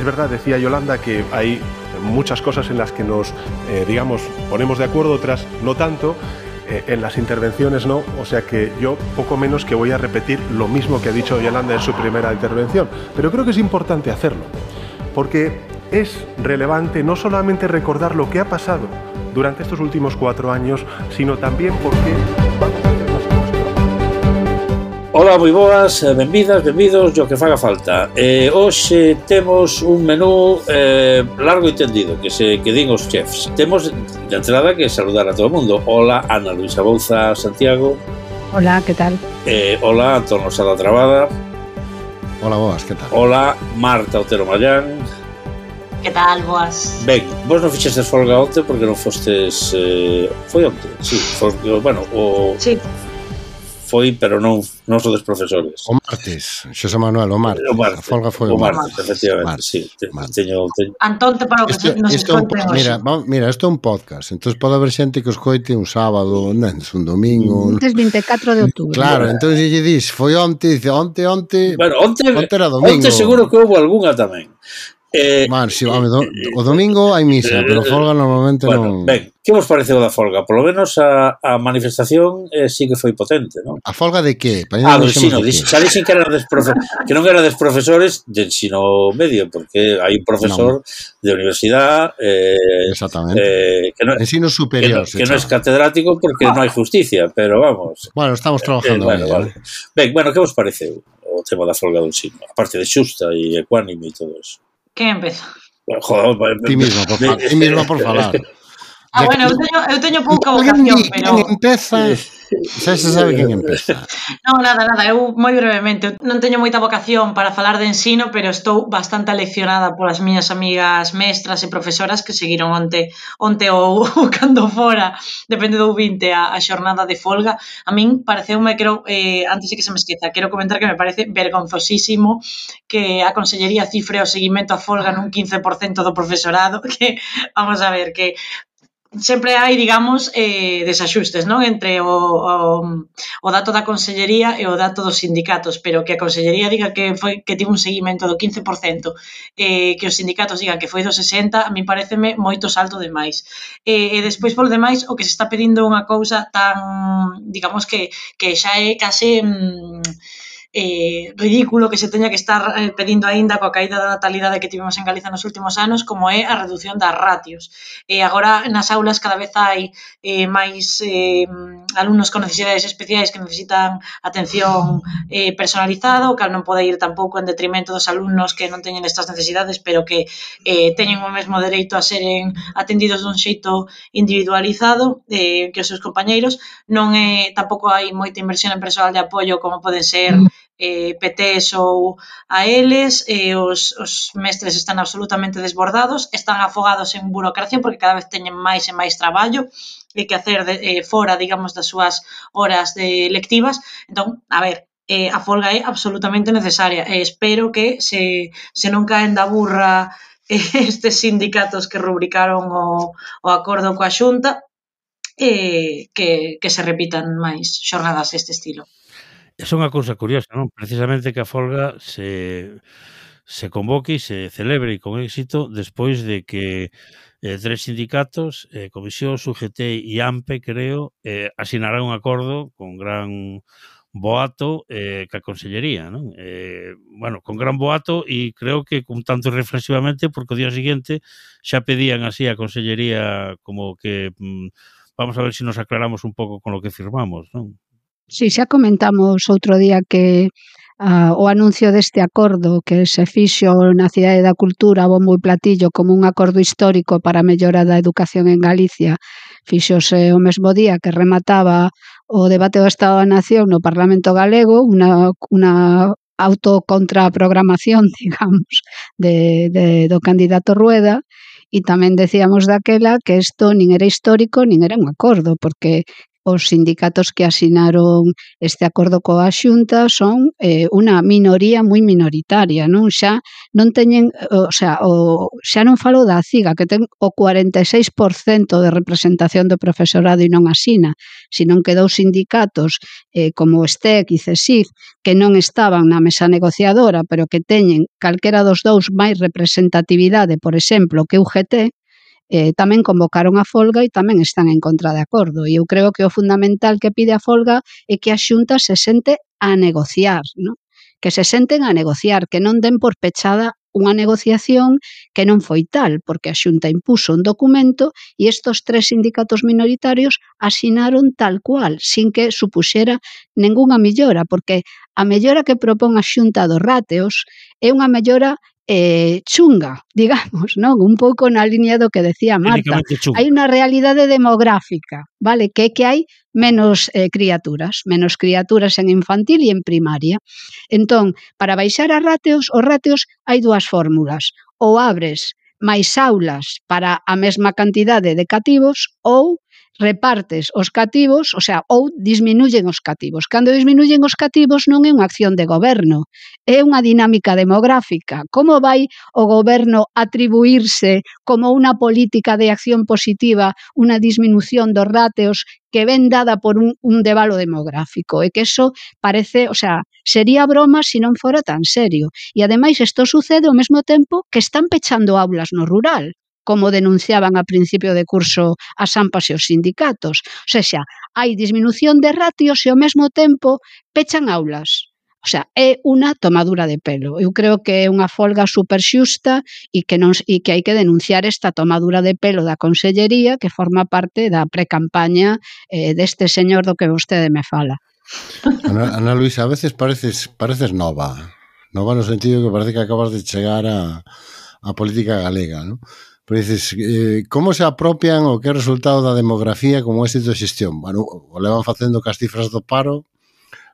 Es verdad, decía Yolanda, que hay muchas cosas en las que nos, digamos, ponemos de acuerdo, otras no tanto. En las intervenciones no, o sea que yo poco menos que voy a repetir lo mismo que ha dicho Yolanda en su primera intervención, pero creo que es importante hacerlo, porque es relevante no solamente recordar lo que ha pasado durante estos últimos 4 años, sino también por qué vamos a hacer las cosas. Ola, moi boas, benvidas, benvidos, o que faga falta. Hoxe temos un menú largo e tendido, que din os chefs. Temos de entrada que saludar a todo o mundo. Hola, Ana Luisa Bouza Santiago. Hola, que tal? Hola, Antonio Sada Trabada. Hola, boas, que tal? Hola, Marta Otero Mallán. Que tal, boas? Ben, vos non fixestes folga onte porque non fostes... foi onte? Sí, bueno, Sí. Foi, pero non sodes profesores. O martes, Xosé Manuel, o martes. A folga foi o martes. Efectivamente, sí. Teño... Antonte para o que nos escoiten hoxe. Mira, isto é un podcast, entón pode haber xente que os coite un sábado, un domingo. Antes 24 de outubro. Claro, entón se lle dis, foi onte, dice, onte... Bueno, onte era domingo. Onte seguro que houve algunha tamén. Bueno, si, o domingo hai misa, pero folga normalmente non... Ben, que vos pareceu da folga? Por lo menos a manifestación sí que foi potente, non? A folga de que? Do ensino, xa dixen que non era des profesores de ensino medio, porque hai un profesor de universidade exactamente, ensino superior que non é catedrático porque non hai justicia, pero vamos. Bueno, estamos trabajando vale. Ben, que vos pareceu o tema da folga do ensino? A parte de xusta e ecuánime e todo eso. Quen empeza? Joder, ti mismo por falar. Bueno, eu teño pouca vocación, pero... Quen empeza... Xa se sabe quen empeza. Non, nada, eu moi brevemente. Non teño moita vocación para falar de ensino, pero estou bastante aleccionada polas miñas amigas mestras e profesoras que seguiron onte ou cando fora, depende do 20, a xornada de folga. A min pareceume, antes de que se me esqueza, quero comentar que me parece vergonzosísimo que a Consellería cifre o seguimento a folga nun 15% do profesorado, que, vamos a ver, que sempre hai, digamos, desaxustes, non? Entre o dato da Consellería e o dato dos sindicatos, pero que a Consellería diga que tivo un seguimento do 15%, que os sindicatos digan que foi do 60%, a mí pareceme moito salto de máis. E despois, polo demais, o que se está pedindo unha cousa tan, digamos, que xa é case... ridículo que se teña que estar pedindo aínda coa caída da natalidade que tivemos en Galiza nos últimos anos, como é a reducción das ratios. Agora nas aulas cada vez hai máis alumnos con necesidades especiais que necesitan atención personalizada, o cal non pode ir tampouco en detrimento dos alumnos que non teñen estas necesidades, pero que teñen o mesmo dereito a seren atendidos dun xeito individualizado que os seus compañeiros. Non tampouco hai moita inversión en persoal de apoio como poden ser PTs ou a eles, os mestres están absolutamente desbordados, están afogados en burocracia porque cada vez teñen máis e máis traballo que hacer fora, digamos, das súas horas lectivas. Entón, a ver, a folga é absolutamente necesaria e espero que se non caen da burra estes sindicatos que rubricaron o acordo coa Xunta, que se repitan máis xornadas deste estilo. É unha cousa curiosa, non? Precisamente que a folga se convoque e se celebre con éxito despois de que 3 sindicatos, Comisións, UGT e AMPE, creo, asinaran un acordo con gran boato ca Consellería, non? Bueno, con gran boato e creo que con tanto reflexivamente porque o día seguinte xa pedían así a Consellería como que vamos a ver se nos aclaramos un pouco con lo que firmamos, non? Sí, xa comentamos outro día que o anuncio deste acordo que se fixo na Cidade da Cultura, bombo e platillo, como un acordo histórico para a mellora da educación en Galicia, fixose o mesmo día que remataba o debate do Estado da Nación no Parlamento Galego, unha autocontraprogramación, digamos, do candidato Rueda, e tamén decíamos daquela que isto nin era histórico nin era un acordo, porque os sindicatos que asinaron este acordo coa Xunta son unha minoría moi minoritaria, non? Xa non teñen, xa non falo da CIGA, que ten o 46% de representación do profesorado e non asina, senón que dous sindicatos como o STEC e CESIF, que non estaban na mesa negociadora, pero que teñen calquera dos dous máis representatividade, por exemplo, que UGT, tamén convocaron a folga e tamén están en contra de acordo. E eu creo que o fundamental que pide a folga é que a Xunta se sente a negociar, non? Que se senten a negociar, que non den por pechada unha negociación que non foi tal, porque a Xunta impuso un documento e estos 3 sindicatos minoritarios asinaron tal cual, sin que supuxera ningunha mellora, porque a mellora que propón a Xunta dos ratios é unha mellora chunga, digamos, non? Un pouco na línea do que decía Marta. Hai unha realidade demográfica, vale? Que é que hai menos criaturas en infantil e en primaria. Entón, para baixar os ratios hai dúas fórmulas. Ou abres máis aulas para a mesma cantidade de cativos ou repartes os cativos, ou disminúyen os cativos. Cando disminúyen os cativos non é unha acción de goberno, é unha dinámica demográfica. Como vai o goberno atribuirse como unha política de acción positiva unha disminución dos ratios que ven dada por un debalo demográfico? É que eso parece, sería broma se non fora tan serio. E ademais isto sucede ao mesmo tempo que están pechando aulas no rural, como denunciaban a principio de curso as AMPAs e os sindicatos. Hai disminución de ratios e ao mesmo tempo pechan aulas. É unha tomadura de pelo. Eu creo que é unha folga super xusta e que hai que denunciar esta tomadura de pelo da Consellería que forma parte da precampaña deste señor do que vostede me fala. Ana Luisa, a veces pareces nova no sentido que parece que acabas de chegar a política galega, non? Pero dices, como se apropian o que é o resultado da demografía como éxito de xestión? Bueno, o levan facendo cas cifras do paro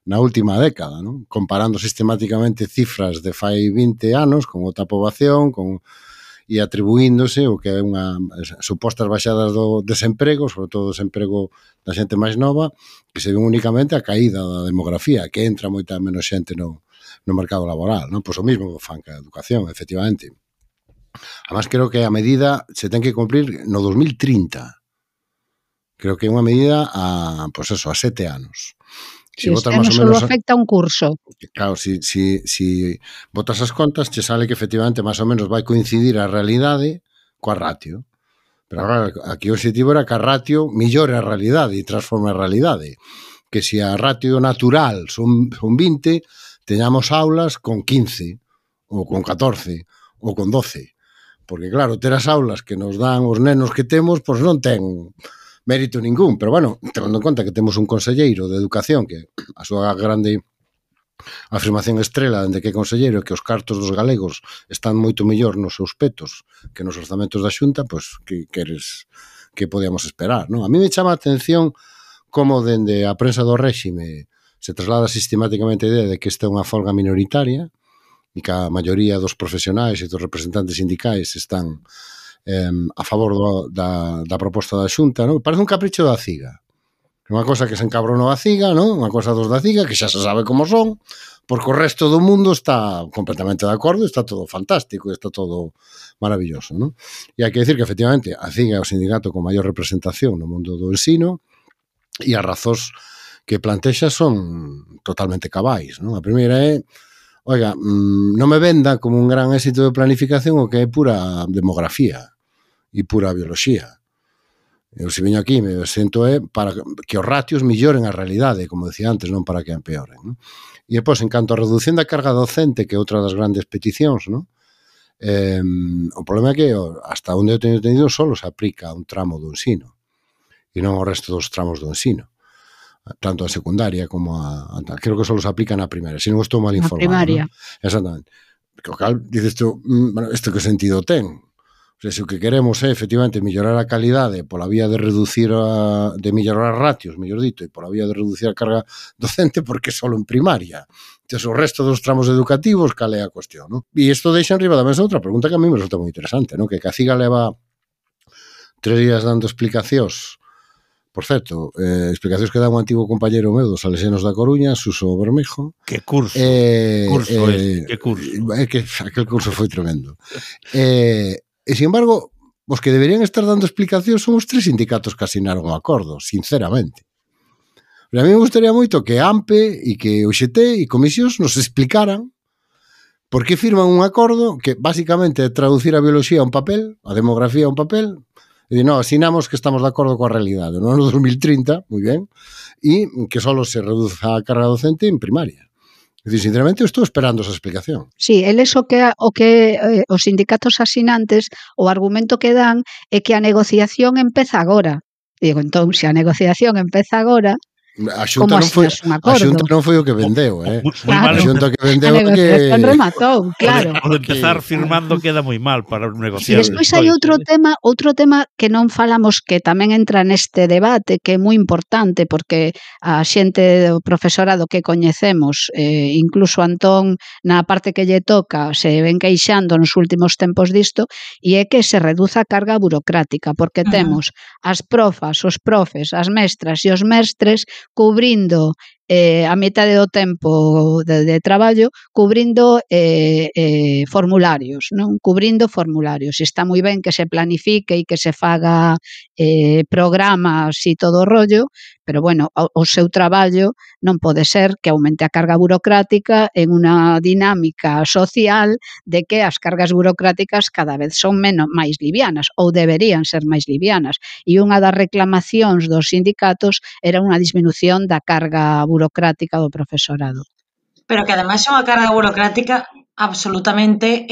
na última década, non? Comparando sistemáticamente cifras de fai 20 anos con outra poboación, e atribuíndose o que é unha supostas baixadas do desemprego, sobre todo o desemprego da xente máis nova, que se ven únicamente a caída da demografía, que entra moita menos xente no mercado laboral, non? Pois o mesmo fan que a educación, efectivamente. Además, creo que a medida se ten que cumprir no 2030. Creo que é unha medida a 7 anos. Si este ano só afecta un curso. Claro, si botas as contas, che sale que efectivamente máis ou menos vai coincidir a realidade coa ratio. Pero agora, aquí o objetivo era que a ratio millore a realidade e transforme a realidade. Que se a ratio natural son 20, teñamos aulas con 15, ou con 14, ou con 12. Porque, claro, ter as aulas que nos dan os nenos que temos, pois non ten mérito ningún. Pero, bueno, tendo en conta que temos un conselleiro de educación que a súa grande afirmación estrela dende que é conselleiro que os cartos dos galegos están moito mellor nos seus petos que nos orzamentos da Xunta, pois, que podíamos esperar, non? A mí me chama a atención como dende a prensa do réxime se traslada sistemáticamente a idea de que esta é unha folga minoritaria e que a maioría dos profesionais e dos representantes sindicais están a favor da proposta da Xunta, non? Parece un capricho da CIGA. Unha cosa que se encabronou a CIGA, non? Unha cosa dos da CIGA, que xa se sabe como son, porque o resto do mundo está completamente de acordo, está todo fantástico, está todo maravilloso, non? E hai que decir que, efectivamente, a CIGA é o sindicato con maior representación no mundo do ensino e as razóns que plantexa son totalmente cabais, non? A primeira é oiga, non me venda como un gran éxito de planificación o que é pura demografía e pura bioloxía. Eu se viño aquí me sento para que os ratios milloren a realidade, como decía antes, non para que empeoren, non? E depois, en canto a reducción da carga docente, que é outra das grandes peticións, non? O problema é que hasta onde eu teño entendido só se aplica a un tramo do ensino e non ao resto dos tramos do ensino, tanto a secundaria como a creo que só se aplica na primaria, se non estou mal informado. Na primaria. ¿No? Exactamente. O cal, dices tú, bueno, isto que sentido ten? O sea, se o que queremos é, efectivamente, mellorar a calidade pola vía de reducir de mellorar as ratios, mellor dito, e pola vía de reducir a carga docente, porque só en primaria. Entón, o resto dos tramos educativos, cal é a cuestión, non? E isto deixa en riba da mesa outra pregunta que a mí me resulta moi interesante, non? Que a CIGA leva 3 días dando explicacións Por certo, explicacións que dá un antigo compañeiro meu dos Salesianos da Coruña, Suso Bermejo. Que curso, que curso. É que aquel curso foi tremendo. E, sin embargo, os que deberían estar dando explicacións son os 3 sindicatos que asinaron o acordo, sinceramente. Pero a mí me gustaría moito que AMPE e que o UGT e comisións nos explicaran por que firman un acordo que basicamente é traducir a biología a un papel, a demografía a un papel. E no, asinamos que estamos de acordo coa realidade no ano 2030, moi ben, e que só se reduza a carga docente en primaria. É dicir, sinceramente, eu estou esperando esa explicación. Sí, eles os sindicatos asinantes, o argumento que dan é que a negociación empeza agora. Digo, entón, se a negociación empeza agora, A Xunta non foi o que vendeu, Claro. A Xunta que vendeu a negociación rematou, claro. O de empezar firmando queda moi mal para negociar. E despois hai outro tema que non falamos, que tamén entra neste debate, que é moi importante, porque a xente do profesorado que coñecemos, incluso Antón, na parte que lle toca, se ven queixando nos últimos tempos disto, e é que se reduza a carga burocrática, porque temos as profas, os profes, as mestras e os mestres cubrindo a metade do tempo de traballo, cubrindo formularios, non? Cubrindo formularios. Está moi ben que se planifique e que se faga programas e todo o rollo, pero, bueno, o seu traballo non pode ser que aumente a carga burocrática en unha dinámica social de que as cargas burocráticas cada vez son máis livianas, ou deberían ser máis livianas. E unha das reclamacións dos sindicatos era unha disminución da carga burocrática do profesorado. Pero que ademais é unha carga burocrática absolutamente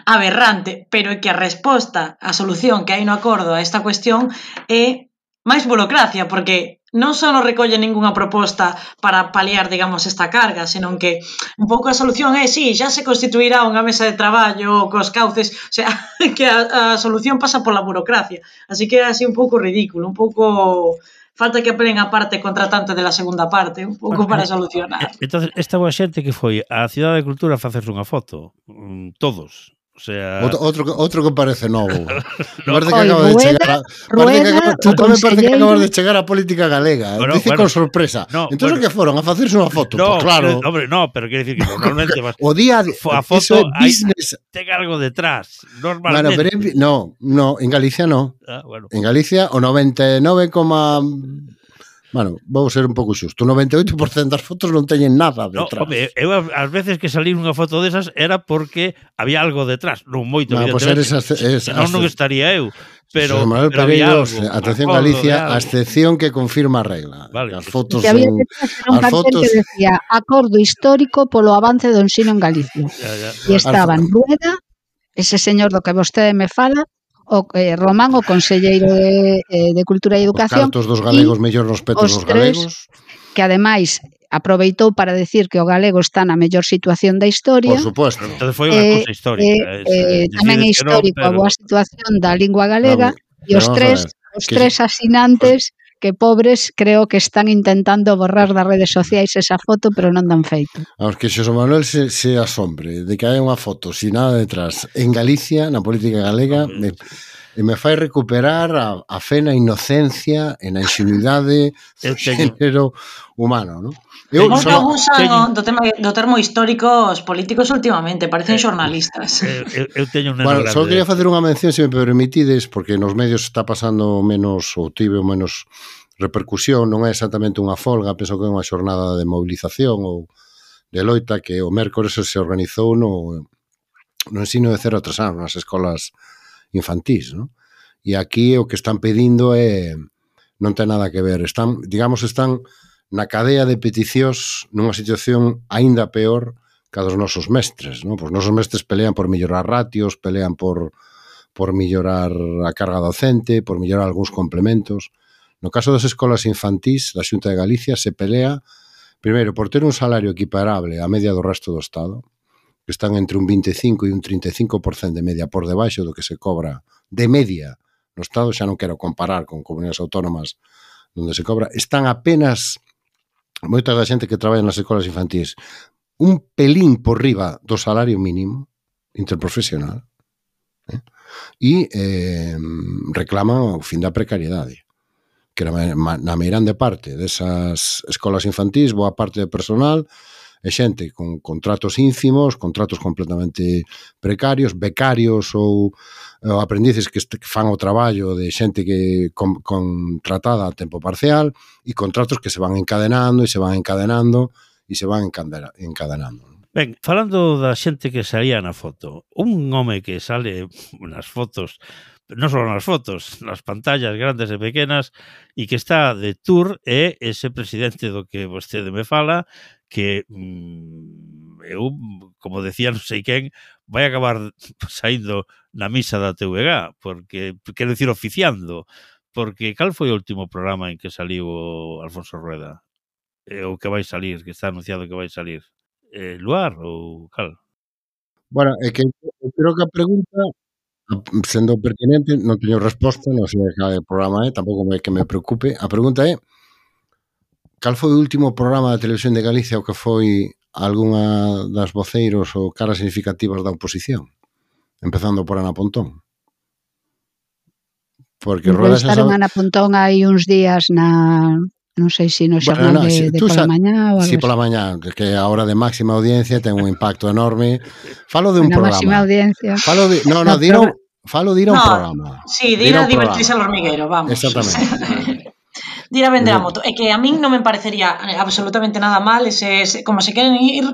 aberrante, pero é que a resposta, a solución que hai no acordo a esta cuestión é máis burocracia, porque non só non recolle ningunha proposta para paliar, digamos, esta carga, senón que un pouco a solución é, sí, xa se constituirá unha mesa de traballo cos cauces, o sea, que a solución pasa pola burocracia. Así que é así un pouco ridículo, un pouco... Falta que apelen a parte contratante de la segunda parte, un pouco para solucionar. Entonces, esta boa xente que foi á Cidade de Cultura a facerse unha foto, todos. O sea... Outro que parece novo. Parece que acaba de chegar tú tamén parece que acabas de chegar á política galega. Bueno, dice con sorpresa. Entón, que foron a facerse unha foto? No, pues claro. Hombre, no, pero quero dicir que normalmente o día a foto ten algo detrás, normalmente. Bueno, no, en Galicia no. Bueno. En Galicia o 99, bueno, vou ser un pouco xusto, o 98% das fotos non teñen nada detrás. No, home, eu ás veces que salí unha foto desas era porque había algo detrás, non moito, evidentemente. Non estaría eu, pero había algo. Atención, Galicia, a excepción que confirma a regla. Vale. As fotos son... un cartel que decía acordo histórico polo avance do ensino en Galicia. E estaban Rueda, ese señor do que vostede me fala, o Román, o conselleiro de Cultura e Educación, os cartos dos galegos mellor nos petos dos galegos, que ademais aproveitou para decir que o galego está na mellor situación da historia. Por suposto. Entonces foi unha cousa histórica. Tamén é histórico a boa situación da lingua galega, e os tres asinantes que pobres creo que están intentando borrar das redes sociais esa foto, pero non dan feito. Vamos, que Xosé Manuel se asombre de que hai unha foto sin nada detrás en Galicia, na política galega, me fai recuperar a fe na inocencia, e na ingenuidade do xénero humano, non? Como que abusan do termo histórico os políticos últimamente, parecen xornalistas. Eu teño unha grande. Só quería facer unha mención, se me permitides, porque nos medios está pasando menos, ou tivo menos repercusión, non é exactamente unha folga, penso que é unha xornada de movilización ou de loita que o mércores se organizou no ensino de 0 a 3 anos, nas escolas infantís, non? E aquí o que están pedindo non ten nada que ver, están na cadea de peticións nunha situación aínda peor que a dos nosos mestres, non? Os nosos mestres pelean por mellorar ratios, pelean por mellorar a carga docente, por mellorar algúns complementos. No caso das escolas infantís, da Xunta de Galicia se pelea, primeiro, por ter un salario equiparable á media do resto do Estado, que están entre un 25 e un 35% de media por debaixo do que se cobra de media no Estado, xa non quero comparar con comunidades autónomas onde se cobra, están apenas... moita da xente que traballa nas escolas infantís un pelín por riba do salario mínimo interprofesional e reclaman o fin da precariedade. que na meirande parte desas escolas infantís, boa parte de personal é xente con contratos ínfimos, contratos completamente precarios, becarios ou aprendices que fan o traballo de xente que contratada a tempo parcial e contratos que se van encadenando e se van encadenando e se van encadenando. Ben, falando da xente que salía na foto, un home que sale nas fotos, non só nas fotos, nas pantallas grandes e pequenas, e que está de tour é ese presidente do que vostede me fala, que eu, como decía non sei quen, vai acabar saindo na misa da TVG, porque, quero dicir, oficiando, porque cal foi o último programa en que saliu o Alfonso Rueda? O que vai salir, que está anunciado que vai salir? Luar ou cal? Bueno, é que eu creo que a pregunta, sendo pertinente, non teño resposta, non sei cal programa é, tampouco é que me preocupe. A pregunta é, cal foi o último programa da Televisión de Galicia o que foi algunha das voceiros ou caras significativas da oposición? Empezando por Ana Pontón. Porque Rueda xa sabe... Ana Pontón hai uns días na... Non sei se no xornal de pola mañá ou algo. Sí, pola mañá, que a hora de máxima audiencia ten un impacto enorme. Falo de un programa. Máxima audiencia. Falo de ir a un programa. Sí, de ir a divertirse al hormiguero, vamos. Exactamente. De ir a vender a moto. É que a min non me parecería absolutamente nada mal como se queren ir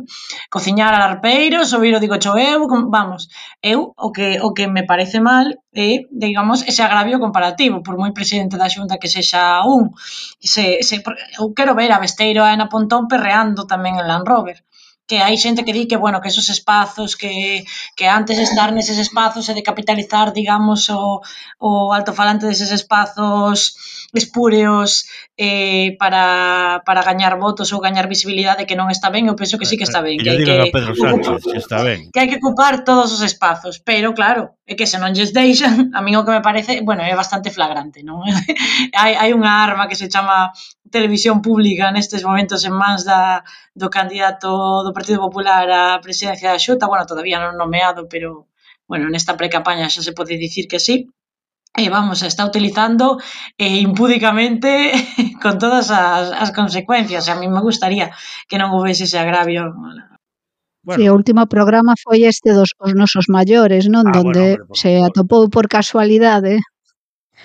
cociñar a arpeiros ou ir o digo eu, vamos, o que me parece mal é, digamos, ese agravio comparativo, por moi presidente da Xunta que sexa eu quero ver a Besteiro a Ana Pontón perreando tamén en Land Rover, que hai xente que di que, bueno, que esos espazos que antes de estar neses espazos e de capitalizar, digamos, o altofalante deses espazos espúreos para gañar votos ou gañar visibilidade, que non está ben. Eu penso que sí que está ben, que digan a Pedro Sánchez que está ben, que hai que ocupar todos os espazos, pero claro, é que se non lles deixan, a mí o que me parece, bueno, é bastante flagrante, non? hai unha arma que se chama televisión pública nestes momentos en mans do candidato do Partido Popular á presidencia da Xunta, bueno, todavía non nomeado, pero bueno, nesta precampaña xa se pode dicir que sí. Vamos, está utilizando impúdicamente con todas as consecuencias. A mí me gustaría que non houvese ese agravio. Bueno. Sí, o último programa foi este dos os nosos maiores, non? Donde se atopou por casualidade.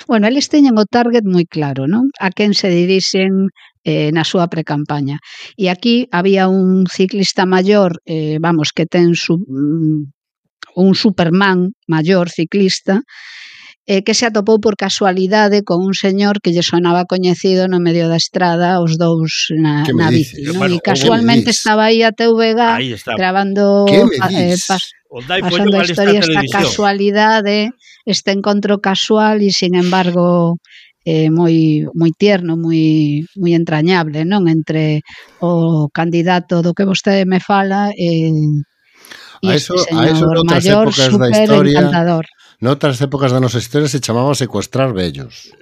Bueno, eles teñen o target moi claro, non? A quen se dirixen na súa precampaña. E aquí había un ciclista maior, vamos, que ten un Superman maior ciclista, que se atopou por casualidade con un señor que lle sonaba coñecido no medio da estrada, os dous na bici, non? Bueno, e casualmente estaba aí a TVG grabando pasando a historia, esta casualidade, este encontro casual e, sin embargo, moi tierno, moi entrañable, non? Entre o candidato do que vostede me fala e este señor maior, super encantador. Noutras épocas da nosa historia se chamaba secuestrar vellos.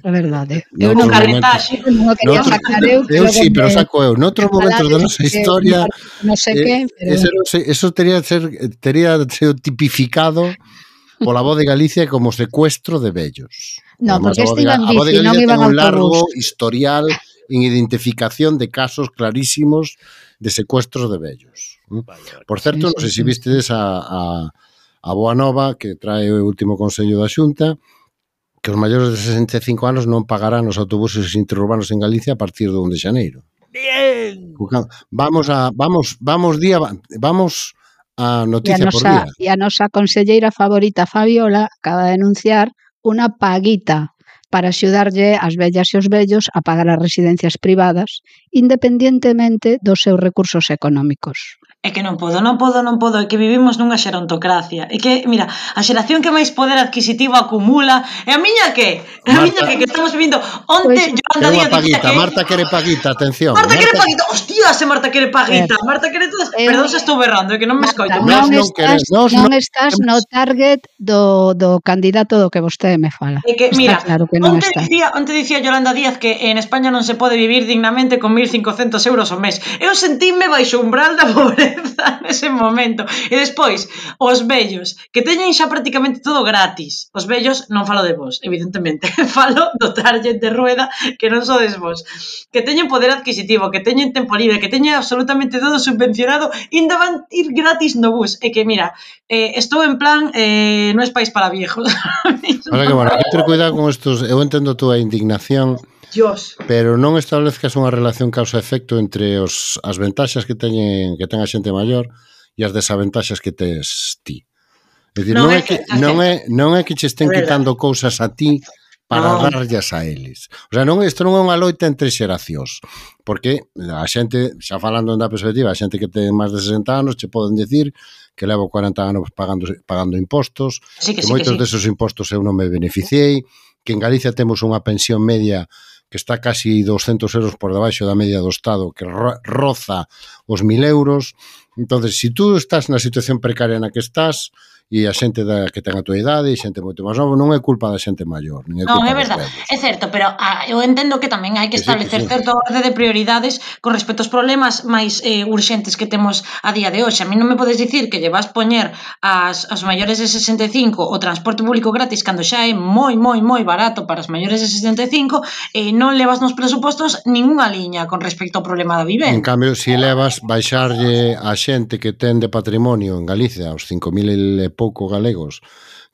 É verdade. Eu non carretaxe. Non quería sacar eu. Eu sí, pero saco eu. Noutros momentos da nosa historia non sei que, pero... Eso tería sido tipificado pola Voz de Galicia como secuestro de vellos. Non, porque este iban bici, non iban autobús. Un largo historial en identificación de casos clarísimos de secuestros de vellos. Por certo, non sei se vistedes a boa nova que trae o último Consello da Xunta, que os maiores de 65 anos non pagarán os autobuses interurbanos en Galicia a partir do 1 de xaneiro. Bien. Vamos a noticia por día. E a nosa conselleira favorita, Fabiola, acaba de anunciar unha paguita para axudarlle as vellas e os vellos a pagar as residencias privadas, independientemente dos seus recursos económicos. É que non podo, é que vivimos nunha xerontocracia. É que, mira, a xeración que máis poder adquisitivo acumula, e a miña que? A miña que estamos vivindo onte, Yolanda Díaz dicía que... Marta quere paguita, atención. Marta quere paguita, hostia, se Marta quere paguita, Marta quere todas... Perdón, se estou berrando, é que non me escoito. Non estás no target do candidato do que vostede me fala. É que, mira, onte dicía Yolanda Díaz que en España non se pode vivir dignamente con 1.500 euros ao mes. Eu sentíme baixo o umbral da pobreza. cabeza nese momento. E despois, os vellos, que teñen xa prácticamente todo gratis. Os vellos, non falo de vos, evidentemente, falo do target de rueda, que non sodes vos. Que teñen poder adquisitivo, que teñen tempo libre, que teñen absolutamente todo subvencionado, ainda van ir gratis no bus. E que, mira, estou en plan, non es país para viejos. Ahora que, bueno, hay que ter cuidado con estos. Eu entendo a túa indignación, Dios. pero non establezcas unha relación causa-efecto entre as ventaxas que ten a xente maior e as desaventaxas que tes ti. É dicir, non é que che estén quitando cousas a ti para darllas a eles. O sea, isto non é unha loita entre xeracións, porque a xente, xa falando da perspectiva, a xente que ten máis de 60 anos che poden decir que levo 40 anos pagando impostos, que moitos desos impostos eu non me beneficiei, que en Galicia temos unha pensión media que está casi 200 euros por debaixo da media do Estado, que roza os 1.000 euros. Entonces, si tú estás na situación precaria na que estás, e a xente que ten a tua idade e xente moito máis nova, non é culpa da xente maior, nin é culpa é verdade, é certo, pero eu entendo que tamén hai que establecer certa orde de prioridades con respecto aos problemas máis urxentes que temos a día de hoxe. A mí non me podes dicir que lle vas poñer aos maiores de 65 o transporte público gratis cando xa é moi barato para os maiores de 65 e non levas nos presupostos ningunha liña con respecto ao problema da vivenda. En cambio, se levas baixarlle a xente que ten de patrimonio en Galicia, os 5.000 e pouco galegos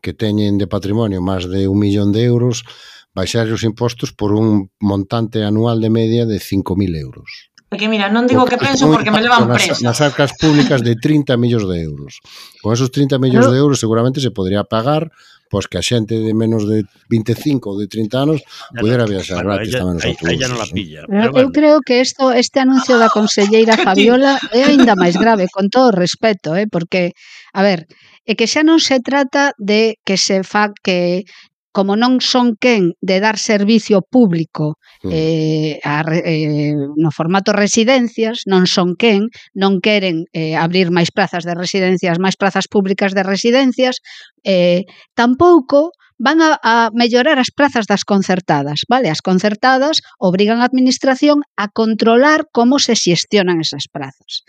que teñen de patrimonio máis de 1 millón de euros, baixar os impostos por un montante anual de media de 5.000 euros. Porque mira, non digo que penso porque me levan preso. Nas arcas públicas de 30 millóns de euros. Con esos 30 millóns de euros seguramente se podría pagar pois que a xente de menos de 25 ou de 30 anos pudera viaxar gratis tamén nos autobuses. Ella non la pilla. Eu creo que este anuncio da conselleira Fabiola é aínda máis grave, con todo o respeto, porque, a ver, é que xa non se trata de que se fa que como non son quen de dar servicio público no formato residencias, non son quen, non queren abrir máis plazas de residencias, máis plazas públicas de residencias, tampouco van a mellorar as plazas das concertadas, vale? As concertadas obrigan a administración a controlar como se xestionan esas plazas.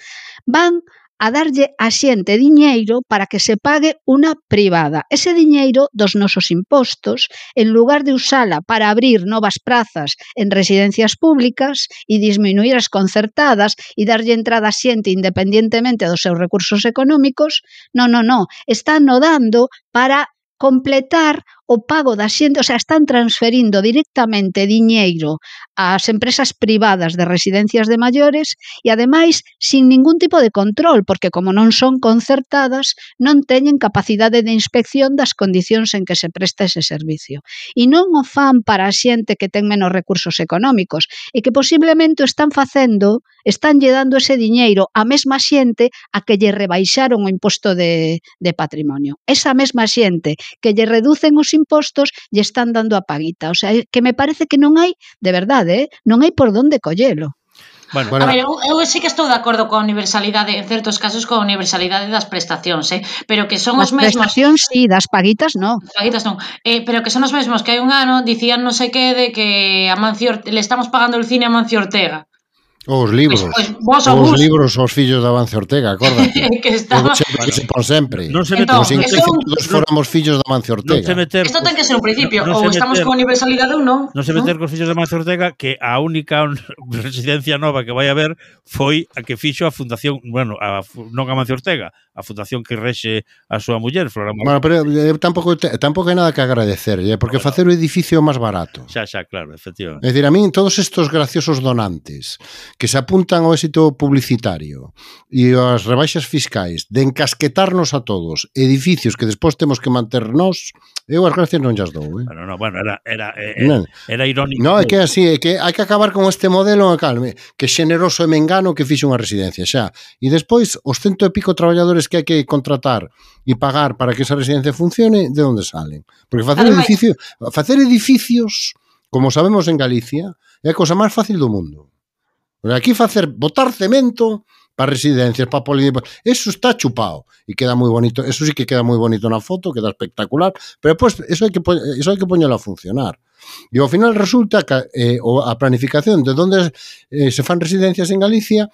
Van a darlle a xente diñeiro para que se pague unha privada. Ese diñeiro dos nosos impostos, en lugar de usala para abrir novas prazas en residencias públicas e disminuir as concertadas e darlle entrada a xente independientemente dos seus recursos económicos, non, están no dando para completar o pago da xente, o sea, están transferindo directamente diñeiro ás empresas privadas de residencias de maiores e, ademais, sin ningún tipo de control, porque como non son concertadas, non teñen capacidade de inspección das condicións en que se presta ese servicio. E non o fan para a xente que ten menos recursos económicos e que posiblemente o están facendo, estánlle dando ese diñeiro á mesma xente a que lle rebaixaron o imposto de patrimonio. Esa mesma xente que lle reducen os impostos lle están dando a paguita. O sea, que me parece que non hai, de verdade, non hai por onde collelo. Bueno. A ver, eu sí que estou de acordo coa universalidade, en certos casos coa universalidade das prestacións, pero que son os mesmos... Das prestacións sí, das paguitas non. Paguitas non, pero que son os mesmos que hai un ano dicían non sei que de que a Mancio le estamos pagando el cine a Mancio Ortega. Os libros, os libros aos fillos de Amancio Ortega, acórdate. Que estaba... Que se pon sempre. Non se como se todos fóramos fillos de Amancio Ortega. Isto ten que ser un principio, ou estamos con universalidade ou non. Non se meter cos fillos de Amancio Ortega, que a única residencia nova que vai haber foi a que fixo a fundación, bueno, non a Amancio Ortega, a fundación que rexe a súa muller, Flora Moreno. Bueno, pero tampouco hai nada que agradecer, porque facer o edificio máis barato. Xa, claro, efectivamente. É dicir, a min todos estos graciosos donantes que se apuntan ao éxito publicitario e as rebaixas fiscais de encasquetarnos a todos edificios que despois temos que manter nós, eu as gracias non llas dou. Bueno, era irónico. Non, é que así, é que hai que acabar con este modelo, calme, que xeneroso e mengano que fixo unha residencia, xa. E despois, os 100 e pico traballadores que hai que contratar e pagar para que esa residencia funcione, de onde salen? Porque facer edificios, como sabemos en Galicia, é a cousa máis fácil do mundo. Aquí botar cemento para residencias, para eso está chupado e queda moi bonito, eso sí que queda moi bonito na foto, queda espectacular, pero despois eso hai que poñelo a funcionar. E ao final resulta que a planificación de onde se fan residencias en Galicia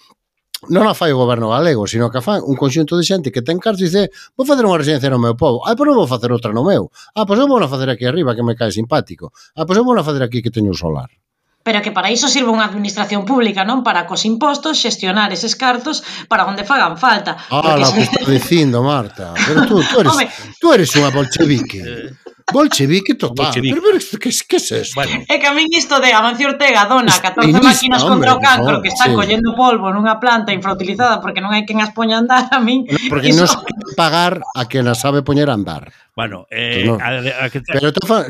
non a fai o goberno galego, sino que a fai un conxunto de xente que ten cartos e dice, vou facer unha residencia no meu povo, pois non vou facer outra no meu, pois eu vou a facer aquí arriba que me cae simpático, pois eu vou a facer aquí que teño un solar. Pero que para iso sirve unha administración pública, non? Para cos impostos xestionar eses cartos para onde fagan falta. Lo que estás dicindo, Marta, pero tú eres unha bolchevique. Bolchevique total. Bolchevique. Pero que es esto? Bueno. É que a min isto de Amancio Ortega dona 14 máquinas contra o cancro que están collendo polvo nunha planta infrautilizada porque non hai quen as poña a andar, a min... Porque non se pagar a quen as sabe poñer a andar. Bueno, pero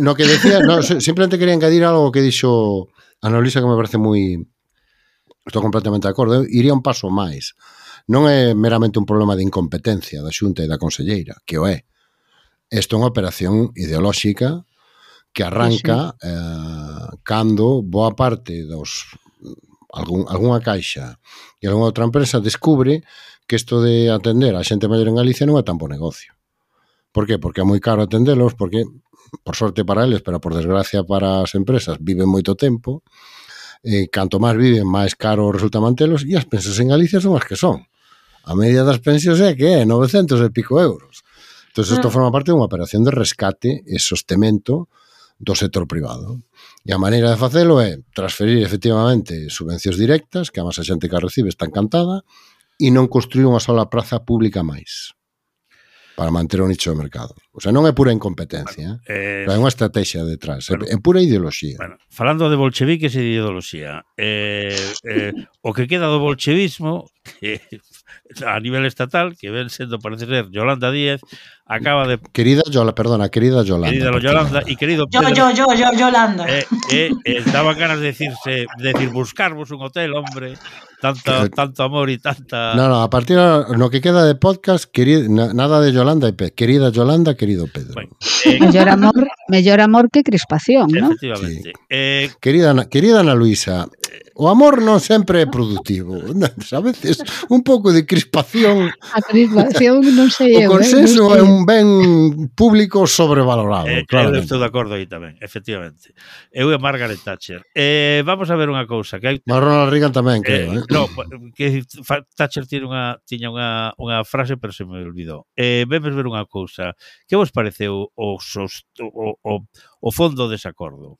no que decía, simplemente quería engadir algo que dixo Ana Luisa que me parece moi... Estou completamente de acordo. Iría un paso máis. Non é meramente un problema de incompetencia da Xunta e da Conselleira, que o é. Isto é unha operación ideolóxica que arranca cando boa parte dos algunha caixa e algunha outra empresa descubre que isto de atender a xente maior en Galicia non é tan bo negocio. Por qué? Porque é moi caro atendelos, porque, por sorte para eles, pero por desgracia para as empresas, viven moito tempo, canto máis viven, máis caro resulta mantelos, e as pensas en Galicia son as que son. A media das pensións é que é 900 e pico euros. Entón, isto forma parte dunha operación de rescate e sostemento do sector privado. E a maneira de facelo é transferir efectivamente subvencións directas, que a masa xente que a recibe está encantada, e non construir unha sola praza pública máis para manter o nicho de mercado. O sea, non é pura incompetencia, pero hai unha estrategia detrás, é pura ideoloxía. Bueno, falando de bolcheviques e de ideoloxía, o que queda do bolchevismo, que a nivel estatal, que ven sendo, parece ser, Yolanda Díaz, acaba de... Querida Yolanda. Querida Yolanda y querido Pedro... Yolanda. Daban ganas de decir, buscarvos un hotel, hombre, tanto amor y tanta... No, a partir de lo que queda de podcast, nada de Yolanda y Pedro. Querida Yolanda, querido Pedro. Bueno, mellor amor que crispación, ¿no? Efectivamente. Sí. Querida Ana Luisa, o amor non sempre é productivo. A veces un pouco de crispación. A crispación non sei eu. O consenso é un ben público sobrevalorado. Claro, estou de acordo aí tamén, efectivamente. Eu e Margaret Thatcher. Vamos a ver unha cousa. Que hai... Ronald Reagan tamén, creo. No, que Thatcher tiña unha frase, pero se me olvidou. Vemos ver unha cousa. Que vos pareceu o fondo dese acordo?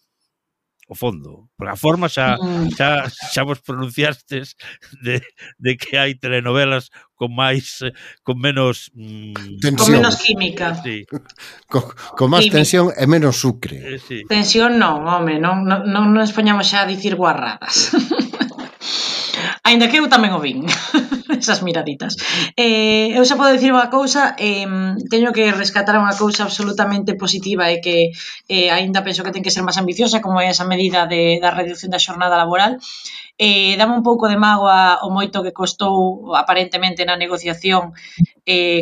O fondo, porque a forma xa vos pronunciastes de que hai telenovelas con menos tensión. Con menos química. Sí. Con máis tensión e menos sucre. Sí. Tensión non, home, non nos poñamos xa a dicir guarradas. Ainda que eu tamén o vin, esas miraditas. Eu xa podo dicir unha cousa, teño que rescatar unha cousa absolutamente positiva e que ainda penso que ten que ser máis ambiciosa, como é esa medida da reducción da xornada laboral. Dame un pouco de mágoa o moito que costou aparentemente na negociación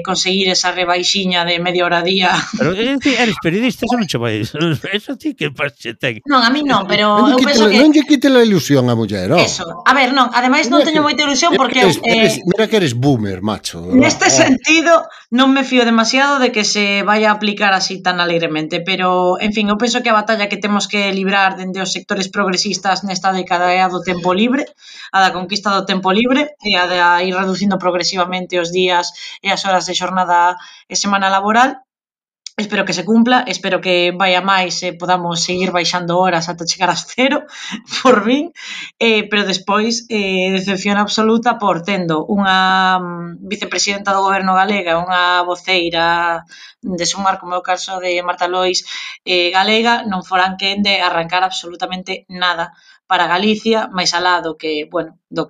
conseguir esa rebaixiña de media hora a día. Pero eres periodista, eso non che vai. Eso ti que paxe ten. Non, a mí non, pero eu penso que... Non lle quite a ilusión a muller, oh. Eso. A ver, non, ademais non teño moita ilusión porque... Mira que eres boomer, macho. Neste sentido, non me fío demasiado de que se vai a aplicar así tan alegremente, pero, en fin, eu penso que a batalla que temos que librar dende os sectores progresistas nesta década é a do tempo libre, a da conquista do tempo libre e a de ir reducindo progresivamente os días e as horas de xornada e semana laboral. Espero que se cumpla, espero que vaya máis e podamos seguir baixando horas ata chegar a cero, por min, pero despois decepción absoluta por tendo unha vicepresidenta do goberno galega, unha voceira de Sumar, como é o caso de Marta Lois galega, non foran quen de arrancar absolutamente nada para Galicia, máis alá do que, bueno, da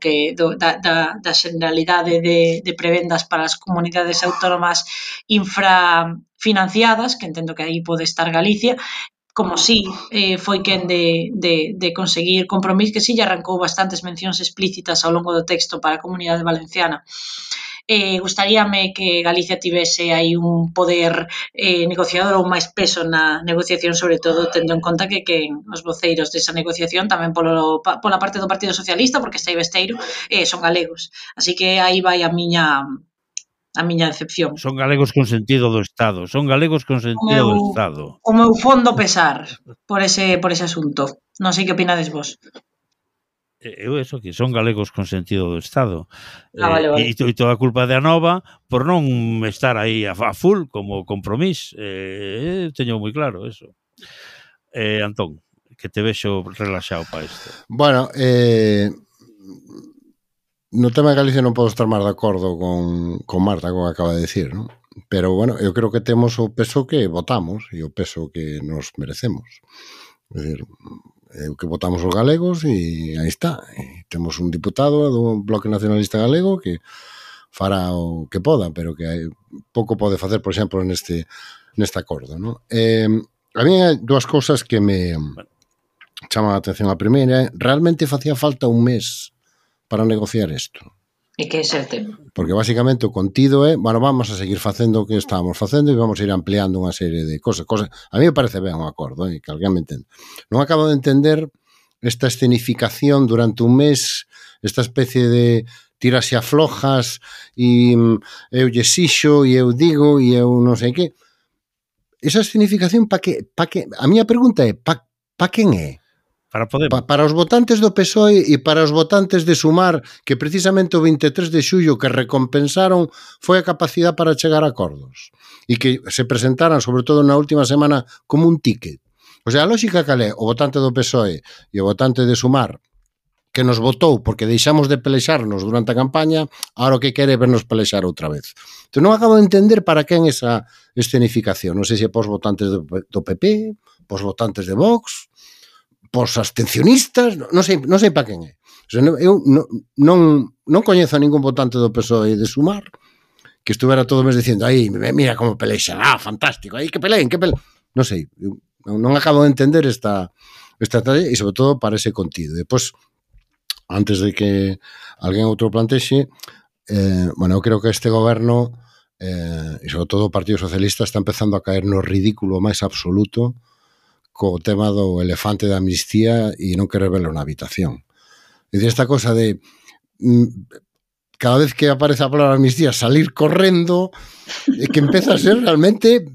xeneralidade de prebendas para as comunidades autónomas infrafinanciadas, que entendo que aí pode estar Galicia, como si foi quen de conseguir compromiso, que si lle arrancou bastantes mencións explícitas ao longo do texto para a comunidade valenciana. Gustaríame que Galicia tivese aí un poder negociador ou máis peso na negociación, sobre todo tendo en conta que os voceiros desa negociación tamén pola parte do Partido Socialista, porque está aí Besteiro, son galegos, así que aí vai a miña decepción. Son galegos con sentido do Estado, son galegos con sentido do Estado. O meu fondo pesar por ese asunto. Non sei que opinades vos. eu eso, que son galegos con sentido do Estado. Vale. E toda a culpa de Anova por non estar aí a full como Compromís. Teño moi claro eso. Antón, que te vexo relaxado para isto. Bueno, no tema de Galicia non podo estar máis de acordo con Marta, como acaba de decir, ¿no? Pero, bueno, eu creo que temos o peso que votamos e o peso que nos merecemos. É dicir, que votamos os galegos e aí está. E temos un diputado do Bloque Nacionalista Galego que fará o que poda, pero que pouco pode facer, por exemplo, neste acordo, ¿no? A mí hai dúas cousas que me chaman a atención. A primeira, realmente facía falta un mes para negociar isto. E que é o tema? Porque basicamente o contido é, bueno, vamos a seguir facendo o que estábamos facendo e vamos a ir ampliando unha serie de cosas. A mí me parece ben un acordo, que alguén me entende. Non acabo de entender esta escenificación durante un mes, esta especie de tiras e aflojas e eu lle xixo e eu digo e eu non sei que. Esa escenificación pa que? A miña pregunta é, pa quen é? Para Podemos. Para os votantes do PSOE e para os votantes de Sumar, que precisamente o 23 de xullo que recompensaron foi a capacidade para chegar a acordos e que se presentaran, sobre todo na última semana, como un ticket. O sea, a lógica cal é o votante do PSOE e o votante de Sumar que nos votou porque deixamos de pelexarnos durante a campaña, ahora o que quere vernos pelexar outra vez. Entón non acabo de entender para quen esa escenificación. Non sei se é pos votantes do PP, pos votantes de Vox, pos abstencionistas, non sei para quen é. O sea, eu non coñezo a ningún votante do PSOE de Sumar que estuvera todo o mes dicindo, aí, mira como pelexan, fantástico, aí que peleen. Non sei, non acabo de entender esta tarea e sobre todo para ese contido. Depois, antes de que alguén outro plantexe, bueno, eu creo que este goberno e sobre todo o Partido Socialista está empezando a caer no ridículo máis absoluto co tema do elefante da amnistía e non querer verlo na habitación. É dicir, esta cosa de cada vez que aparece a palabra amnistía salir correndo, que empeza a ser realmente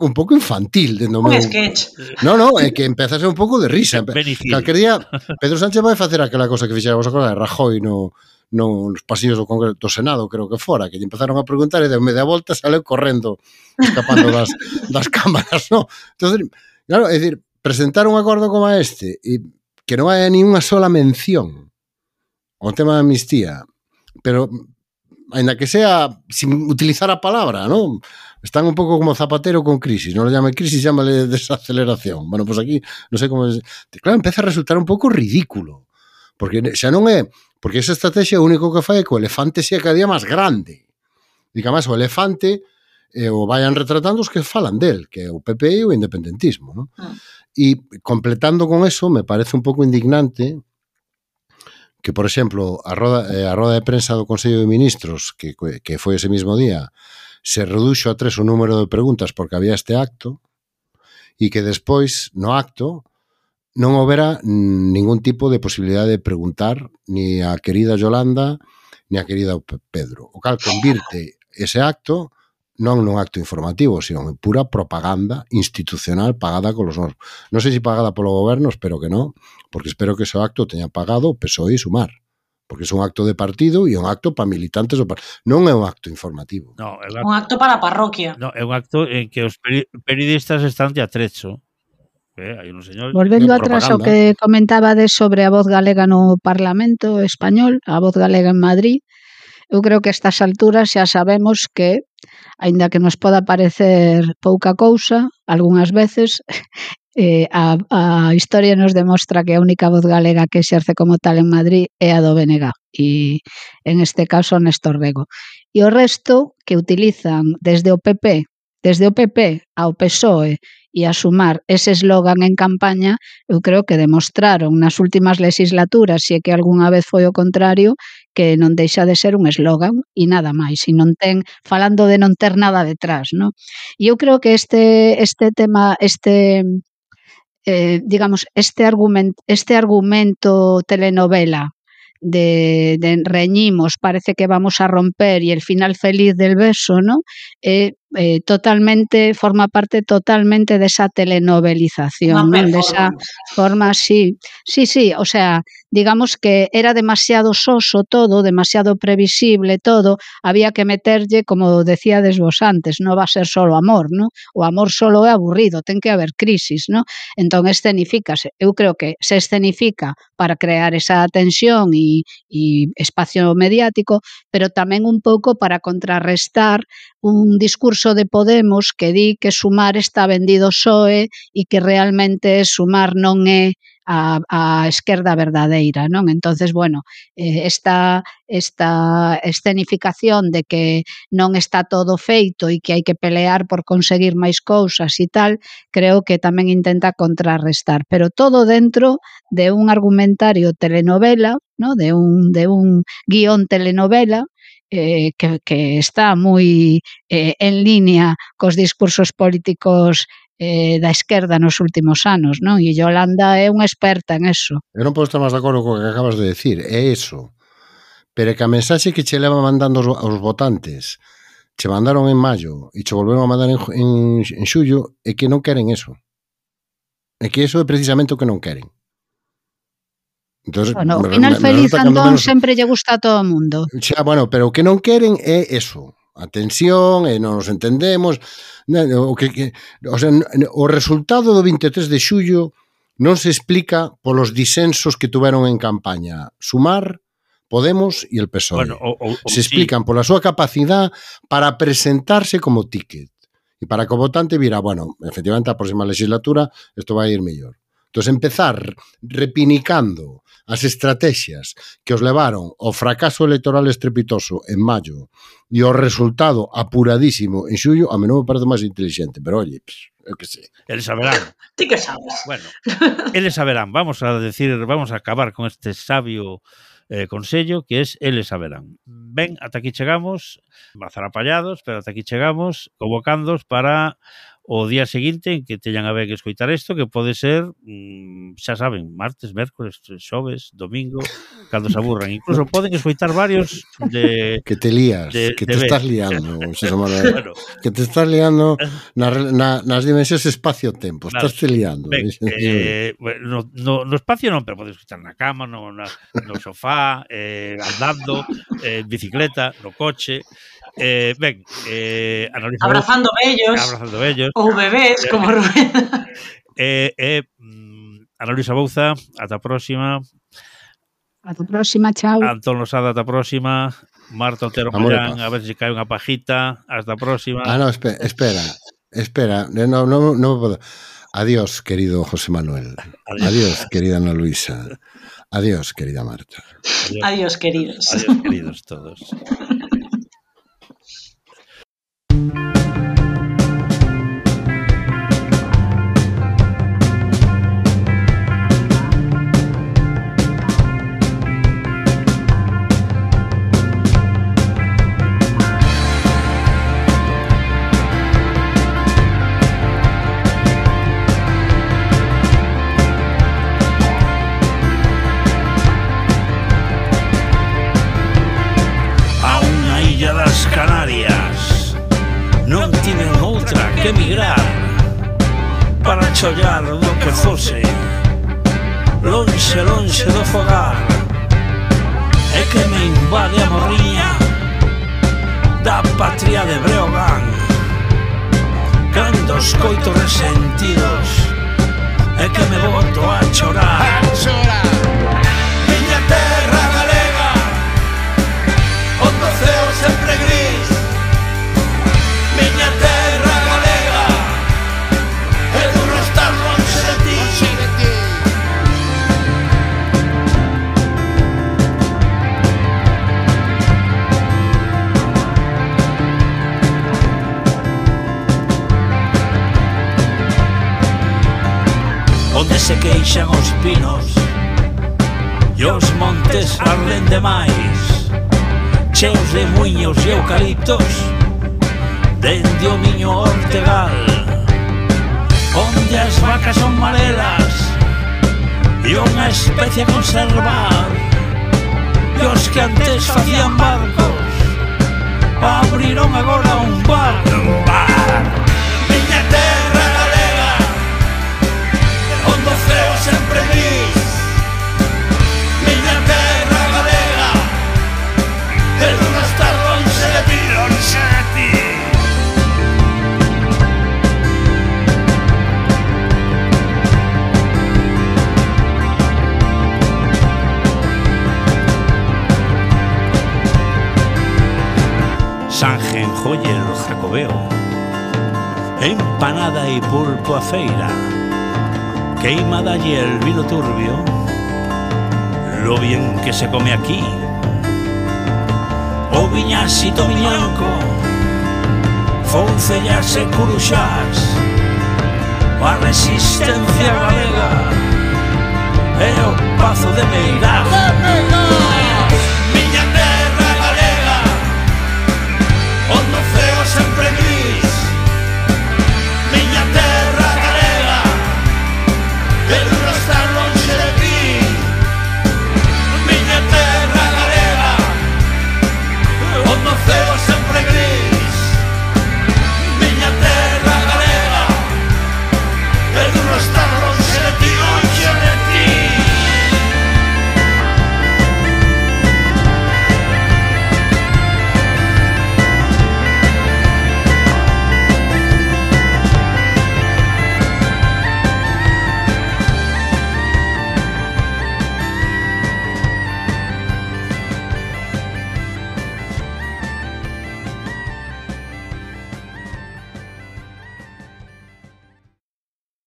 un pouco infantil. Un sketch. Non, é que empeza a ser un pouco de risa. Calquer día Pedro Sánchez vai facer aquela cosa que fixera vos acordar de Rajoy nos pasillos do Congreso do Senado, creo que fora, que lle empezaron a preguntar e de media volta saleu correndo, escapando das cámaras, non? Entón, claro, é dicir, presentar un acordo como este e que non hai ni unha sola mención ao tema da amnistía, pero ainda que sea sin utilizar a palabra, non? Están un pouco como Zapatero con crisis, non lo llame crisis, llámale desaceleración. Bueno, pues aquí, non sei como... Claro, empeza a resultar un pouco ridículo, porque xa non é... Porque esa estrategia o único que fai é que o elefante sea cada día máis grande. E que, además, o elefante o vayan retratando os que falan del, que é o PP e o independentismo, non? E completando con eso, me parece un pouco indignante que, por exemplo, a roda de prensa do Consello de Ministros, que foi ese mismo día, se reduxo a 3 o número de preguntas porque había este acto, e que despois, no acto, non houbera ningún tipo de posibilidade de preguntar ni a querida Yolanda ni a querida Pedro. O cal convirte ese acto non nun acto informativo, sino en pura propaganda institucional pagada con los nosos. Non sei se pagada polo goberno, espero que non, porque espero que ese acto teña pagado o PSOE e Sumar, porque é un acto de partido e un acto para militantes do partido. Non é un acto informativo. No, un acto para a parroquia. No, é un acto en que os periodistas están de atrecho. Hai un señor Volvendo atrás ao que comentabades sobre a voz galega no Parlamento español, a voz galega en Madrid, eu creo que a estas alturas xa sabemos que, aínda que nos poda parecer pouca cousa, algunhas veces, a historia nos demostra que a única voz galega que exerce como tal en Madrid é a do BNG, e en este caso Néstor Rego. E o resto que utilizan desde o PP ao PSOE e a Sumar ese eslogan en campaña, eu creo que demostraron nas últimas legislaturas, se é que algunha vez foi o contrario, que non deixa de ser un eslogan e nada máis, e non ten, falando de non ter nada detrás, non? E eu creo que este tema, digamos, este argumento telenovela de reñimos, parece que vamos a romper e el final feliz del beso, ¿no? totalmente, forma parte totalmente desa telenovelización, non? Desa forma, sí, o sea, digamos que era demasiado soso todo, demasiado previsible todo, había que meterlle, como decíades vos antes, non va a ser solo amor, non? O amor solo é aburrido, ten que haber crisis, non? Entón escenifícase, eu creo que se escenifica para crear esa tensión e espacio mediático, pero tamén un pouco para contrarrestar un discurso de Podemos que di que Sumar está vendido PSOE e que realmente Sumar non é a esquerda verdadeira, non? Entonces, bueno, esta escenificación de que non está todo feito e que hai que pelear por conseguir máis cousas e tal, creo que tamén intenta contrarrestar, pero todo dentro de un argumentario telenovela, ¿no? de un guión telenovela, que está moi en línea cos discursos políticos da esquerda nos últimos anos, non? E Yolanda é unha experta en eso. Eu non podo estar máis de acordo co que acabas de decir, é eso. Pero que a mensaxe que che leva mandando aos votantes, che mandaron en maio e che volveron a mandar en xullo, é que non queren eso. É que eso é precisamente o que non queren. Entonces, bueno, o final feliz Antón sempre lle gusta a todo o mundo. Xa, bueno, pero o que non queren é eso. A tensión, e non nos entendemos. O sea, o resultado do 23 de xullo non se explica polos disensos que tuveron en campaña Sumar, Podemos e el PSOE. Bueno, se explican pola súa capacidade para presentarse como ticket e para que o votante vira, bueno, efectivamente a próxima legislatura isto vai ir mellor. Entón, empezar repinicando as estrategias que os levaron ao fracaso electoral estrepitoso en maio e ao resultado apuradísimo en xullo, a mí non me parece máis inteligente, pero oye, eu que sei. Eles saberán. Ti que sabes. Bueno, eles saberán. Vamos a acabar con este sabio consello que es eles saberán. Ben, ata aquí chegamos, mazarapallados, pero ata aquí chegamos, convocándos para o día seguinte en que teñan a ver que escoitar isto, que pode ser, xa saben, martes, mércoles, xoves, domingo, cando se aburran. Incluso poden escoitar varios de... Que te lías, que te estás liando, bueno, que te estás liando nas dimensións espacio-tempo, estás te liando. No espacio non, pero podes escoitar na cama, no sofá, andando, en bicicleta, no coche... ben, abrazando vellos ou bebés como Rubén. Ana Luisa Bouza, ata a próxima. Ata a próxima, chao. Antón Losada, ata a próxima. Marta Otero Millán, a ver se cae unha pajita. Hasta a próxima. No, espera, non me podo. Adiós, querido José Manuel. Adiós, querida Ana Luisa. Adiós, querida Marta. Adiós, queridos. Adiós, queridos todos. Que emigrar para chollar do que fose lonxe do fogar é que me invade a morriña da patria de Breogán cando escoito resentidos é que me boto a chorar miña terra galega onde o ceo sempre gris miña terra onde se queixan os pinos e os montes arden demais cheos de muiños e eucaliptos dende o miño Ortegal onde as vacas son marelas e unha especie a conservar e os que antes facían barcos abriron agora un bar. Miña terra galega, onde o ceo sempre gris. Miña terra galega, pero non estar lonxe de ti, lonxe de ti. Sanjen, joyer, jacobeo, empanada y pulpo a feira, queimada y el vino turbio, lo bien que se come aquí. O viñasito miñanco, foncellas e curuxás, a resistencia galega e o pazo de Meirás.